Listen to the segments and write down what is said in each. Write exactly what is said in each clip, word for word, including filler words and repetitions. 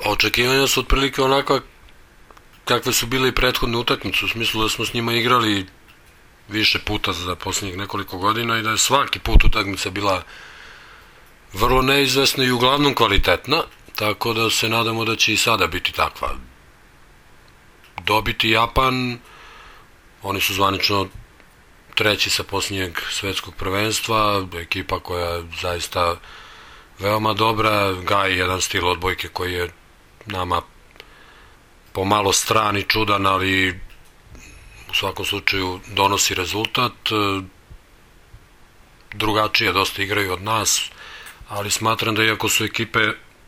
Očekivanja su otprilike onakva kakve su bile i prethodne utakmice, u smislu da smo s njima igrali više puta za posljednjih nekoliko godina i da je svaki put utakmica bila vrlo neizvesna i uglavnom kvalitetna, tako da se nadamo da će i sada biti takva. Dobiti Japan, oni su zvanično treći sa posljednjeg svetskog prvenstva, ekipa koja je zaista veoma dobra, gaji jedan stil odbojke koji je nama pomalo stran i čudan, ali u svakom slučaju donosi rezultat. Drugačije dosta igraju od nas, ali smatram da iako su ekipe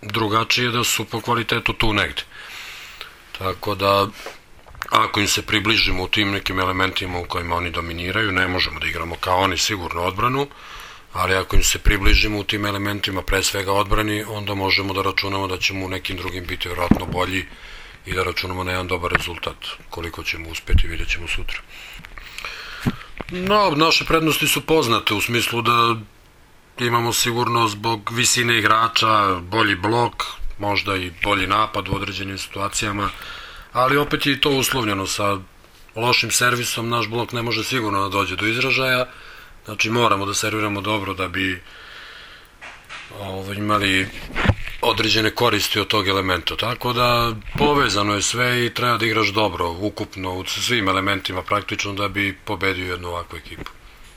drugačije, da su po kvalitetu tu negde. Tako da, ako im se približimo u tim nekim elementima u kojima oni dominiraju, ne možemo da igramo kao oni sigurno odbranu, ali ako im se približimo u tim elementima, pre svega odbrani, onda možemo da računamo da ćemo u nekim drugim biti vjerojatno bolji i da računamo na jedan dobar rezultat. Koliko ćemo uspjeti, vidjet ćemo sutra. No, naše prednosti su poznate u smislu da imamo sigurno zbog visine igrača bolji blok, možda i bolji napad u određenim situacijama, ali opet je i to uslovljeno sa lošim servisom. Naš blok ne može sigurno da dođe do izražaja, znači moramo da serviramo dobro da bi ovo, imali određene koristi od tog elementa, tako da povezano je sve i treba da igraš dobro ukupno u svim elementima praktično da bi pobedio jednu ovakvu ekipu.